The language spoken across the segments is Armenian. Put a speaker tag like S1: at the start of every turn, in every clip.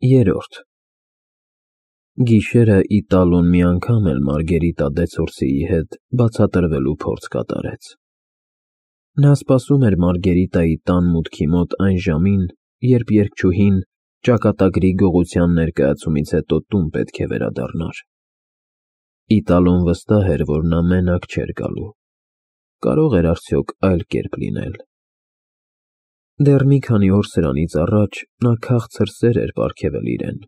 S1: Երրորդ Գիշերը Իտալոն մի անգամ էլ Մարգերիտա Դեցորսիի հետ բացատրվելու փորձ կատարեց։ Նա սպասում էր Մարգերիտայի տան մուտքի մոտ այն ժամին, երբ երգչուհին ճակատագրի գողության ներկայացումից հետո տուն պետք է վերադառնար։ Իտալոն վստահ էր, որ նա մենակ չէր գալու։ Կարող էր արդյոք այլ կերպ լինել։ Դեռ մի քանի օր սրանից առաջ նա քաղցր սեր էր պարգևել իրեն,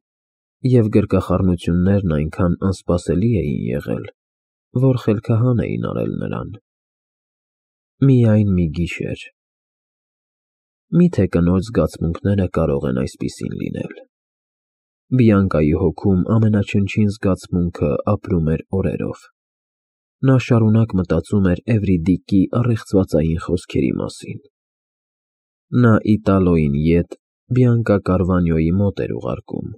S1: և գրկախառնություններն այնքան անսպասելի էին եղել, որ խելքահան էին արել նրան։ Միայն մի գիշեր։ Մի՞թե կնոջ զգացմունքները կարող են այսպիսին լինել։ Բիանկայի հոգում ամենաչնչին զգացմունքը ապրում էր օրերով։ Նա շարունակ մտածում էր Էվրիդիկի առեղծվածային խոսքերի մասին։ Նա Իտալոյին ետ Բիանկա Կարվանյոյի մոտ էր ուղարկում։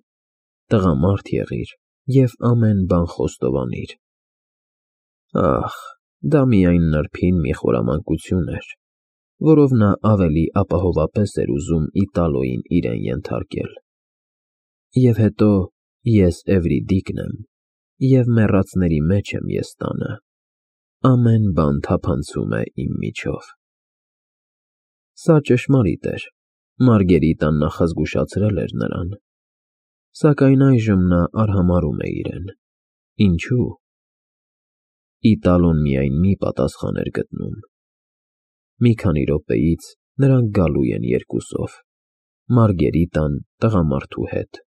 S1: Տղամարդ եղիր և ամեն բան խոստովանիր։ Ահ, դա միայն նրբին մի խորամանկություն էր, որով նա ավելի ապահովապես էր ուզում Իտալոյին իրեն ենթարկել։ Եվ հետո ես Էվրիդիկն եմ, և մեռածների մեջ եմ ես տանը, ամեն բան թափանցում է իմ միջով։ Սա ճշմարիտ էր, Մարգերիտան նախազգուշացրել էր նրան, սակայն այժմ նա արհամարհում է իրեն։ Ինչու՞։ Իտալոն միայն մի պատասխան էր գտնում։ Մի քանի րոպեից նրանք գալու են երկուսով, Մարգերիտան տղամարդու հետ։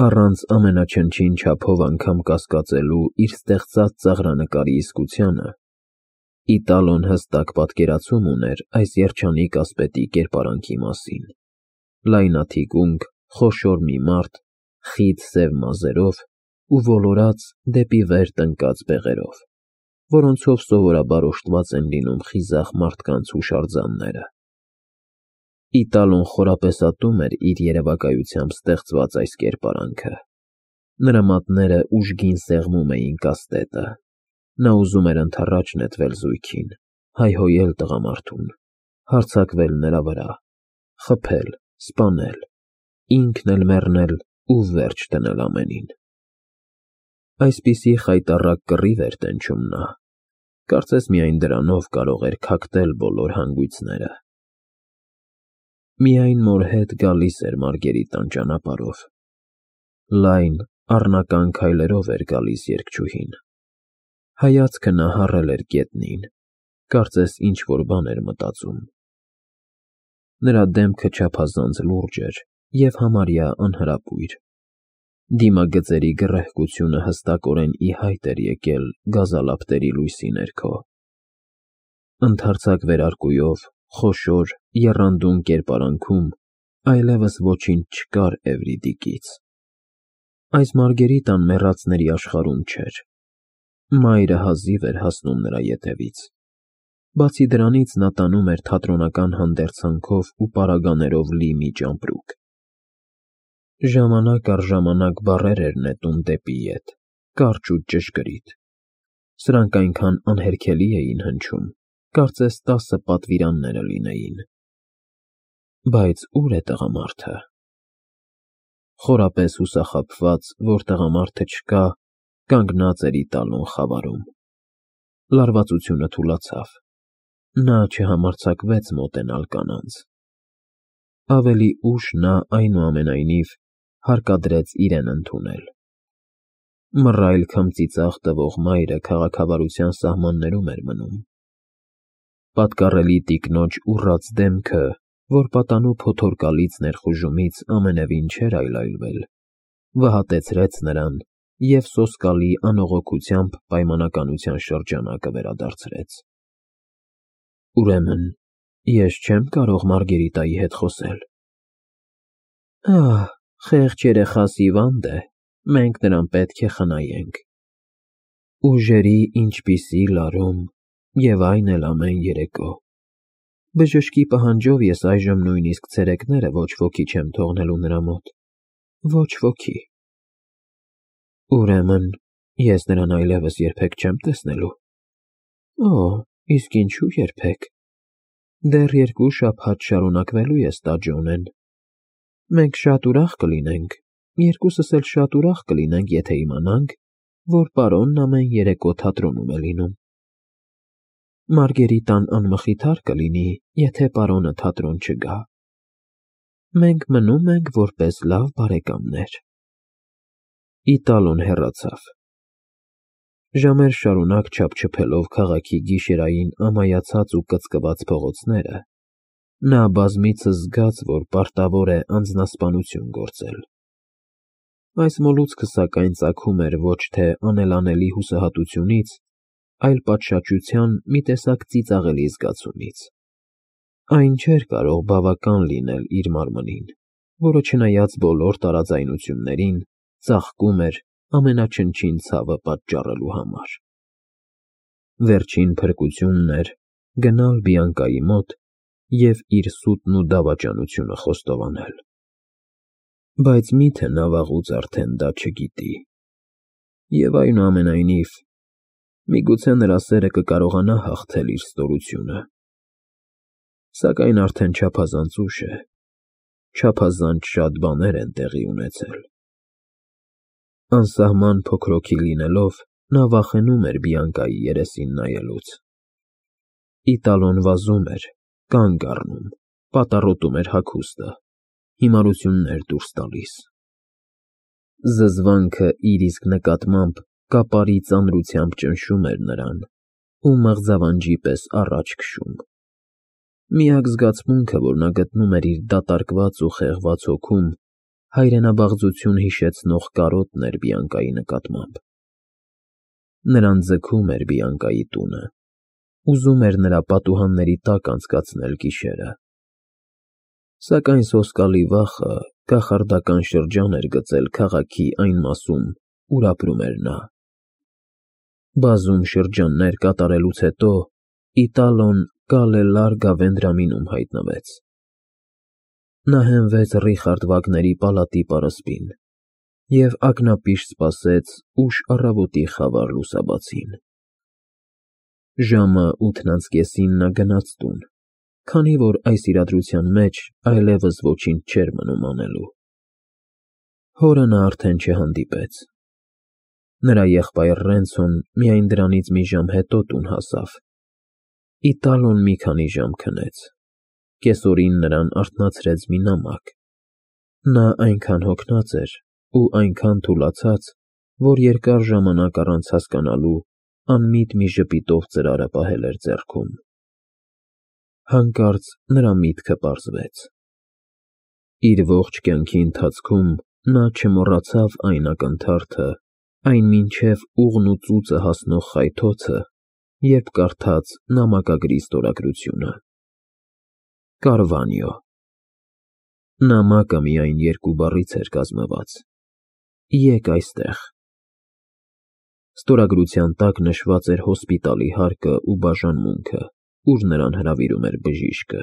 S1: Առանց ամենաչնչին չափով անգամ կասկածելու իր ստեղծած ծաղրանկարի իսկությանը, Իտալոն հստակ պատկերացում ուներ այս երջանիկ ասպետի կերպարանքի մասին։ Լայնաթիկունք, խոշոր մի մարդ, խիտ սև մազերով ու ոլորած դեպի վեր տնկած բեղերով, որոնցով սովորաբար օժտված են լինում խիզախ մարդկանց հուշարձանները։ Իտալոն խորապեսատում էր իր երևակայությամբ ստեղծված այս կերպարանքը։ Նրա մատները ուժգին սեղմում էին կաստետը։ Նա ուզում էր ընդառաջ նետվել զույգին, հայհոյել տղամարդուն, հարձակվել նրա վրա, խփել, սպանել, ինքն էլ մեռնել ու վերջ դնել ամենին։ Այսպիսի խայտառակ կռիվ էր տենչում նա, կարծես միայն դրանով կարող էր քակտել բոլոր հանգույցները։ Միայն մոր հետ գալիս էր Մարգերիտան ճանապարհով։ Լայն, առնական քայլերով էր գալիս երգչուհին։ Հայացքը նա հառել էր գետնին, կարծես ինչ-որ բան էր մտածում։ Նրա դեմքը չափազանց լուրջ էր և համարյա անհրապույր։ Դիմագծերի գռեհկությունը հստակորեն ի հայտ էր եկել գազալապտերի լույսի ներքո։ Ընդարձակ վերարկուով, խոշոր, եռանդուն կերպարանքում այլևս ոչինչ չկար Էվրիդիկից։ Այս Մարգերիտան մեռածների աշխարհում չէր։ Մայրը հազիվ էր հասնում նրա ետևից։ Բացի դրանից նա տանում էր թատրոնական հանդերձանքով ու պարագաներով լի մի ճամպրուկ։ Ժամանակ առ ժամանակ բառեր էր նետում դեպի ետ, կարճ ու ճշգրիտ։ Սրանք այնքան անհերքելի էին հնչում, կարծես 10 պատվիրանները լինեին։ Բայց ո՞ւր է տղամարդը։ Խորապես հուսախաբված, որ տղամարդը չկա, կանգնած էր Իտալոն խավարում։ Լարվածությունը թուլացավ։ Նա չհամարձակվեց մոտենալ կանանց։ Ավելի ուշ նա, այնուամենայնիվ, հարկադրեց իրեն ընդունել։ Մռայլ քմծիծաղ տվող մայրը քաղաքավարության սահմաններում էր մնում։ Պատկառելի տիկնոջ ուռած դեմքը, որ պատանու փոթորկալից ներխուժումից ամենևին չէր այլայլվել, վհատեցրեց նրան և սոսկալի անողոքությամբ պայմանականության շրջանակը վերադարձրեց։ Ուրեմն ես չեմ կարող Մարգերիտայի հետ խոսել։ Ահ, խեղճ երեխաս հիվանդ է, մենք նրան պետք է խնայենք։ Ուժերի ինչպիսի լարում, և այն էլ ամեն երեկո։ Բժշկի պահանջով ես այժմ նույնիսկ ցերեկները ոչ ոքի չեմ թողնելու նրա մոտ։ Ոչ ոքի։ Ուրեմն ես նրան այլևս երբեք չեմ տեսնելու։ Օ, իսկ ինչու երբեք։ Դեռ 2 շաբաթ շարունակվելու է ստաջոնեն։ Մենք շատ ուրախ կլինենք, երկուսս էլ շատ ուրախ կլինենք, եթե իմանանք, որ պարոնն ամեն երեկո թատրոնում է լինում։ Մարգերիտան անմխիթար կլինի, եթե պարոնը թատրոն չգա։ Մենք մնում ենք որպես լավ բարեկամներ։ Իտալոն հեռացավ։ Ժամեր շարունակ չափչփելով քաղաքի գիշերային ամայացած ու կծկված փողոցները, նա բազմիցս զգաց, որ պարտավոր է անձնասպանություն գործել։ Այս մոլուցքը սակայն ծագում էր ոչ թե անելանելի հուսահատությունից, այլ պատշաճության մի տեսակ ծիծաղելի զգացումից։ Այն չէր կարող բավական լինել իր մարմնին, որը չնայած բոլոր տարաձայնություններին, ծաղկում էր ամենաչնչին ցավը պատճառելու համար։ Վերջին փրկությունն էր գնալ Բիանկայի մոտ և իր սուտն ու դավաճանությունը խոստովանել։ Բայց մի՞թե նա վաղուց արդեն դա չգիտի։ Եվ այնուամենայնիվ, միգուցե նրա սերը կկարողանա հաղթել իր ստորությունը։ Սակայն արդեն չափազանց ուշ է, չափազանց շատ բաներ են տեղի ունեցել։ Անսահման փոքրոքի լինելով, նա վախենում էր Բիանկայի երեսին նայելուց։ Իտալոն վազում էր, կանգ առնում, պատառոտում էր հագուստը, հիմարություններ դուրս տալիս։ Զզվանքը իր իսկ նկատմամբ կապարի ծանրությամբ ճնշում էր նրան ու մղձավանջի պես առաջ քշում։ Միակ զգացմունքը, որ նա գտնում էր իր դատարկված ու խեղված հոգում, հայրենաբաղձություն հիշեցնող կարոտն էր Բիանկայի նկատմամբ։ Նրան ձգում էր Բիանկայի տունը, ուզում էր նրա պատուհանների տակ անցկացնել գիշերը։ Սակայն սոսկալի վախը կախարդական շրջան էր գծել քաղաքի այն մասում, ուր ապրում էր նա։ Բազում շրջաններ կատարելուց հետո Իտալոն Կալե Լարգա Վենդրամինում հայտնվեց։ Նա հենվեց Ռիխարդ Վագների պալատի պարսպին և ակնապիշ սպասեց ուշ առավոտի խավար լուսաբացին։ Ժամը 8:30-ին նա գնաց տուն, քանի որ այս իրադրության մեջ այլևս ոչինչ չէր մնում անելու։ Հորը նա արդեն չհանդիպեց։ Նրա եղբայր Ռենցոն միայն դրանից մի ժամ հետո տուն հասավ։ Իտալոն մի քանի ժամ քնեց։ Կեսօրին նրան արթնացրեց մի նամակ։ Նա այնքան հոգնած էր ու այնքան թուլացած, որ երկար ժամանակ առանց հասկանալու անմիտ մի ժպիտով ծրարը պահել էր ձեռքում։ Հանկարծ նրա միտքը պարզվեց։ Իր ողջ կյանքի ընթացքում նա չմոռացավ այն ակնթարթը, այն մինչև ուղն ու ծուծը հասնող խայթոցը, երբ կարդաց նամակագրի ստորագրությունը. Կարվանյո։ Նամակը միայն երկու բառից էր կազմված. Եկ այստեղ։ Ստորագրության տակ նշված էր հոսպիտալի հարկը ու բաժանմունքը, ուր նրան հրավիրում էր բժիշկը։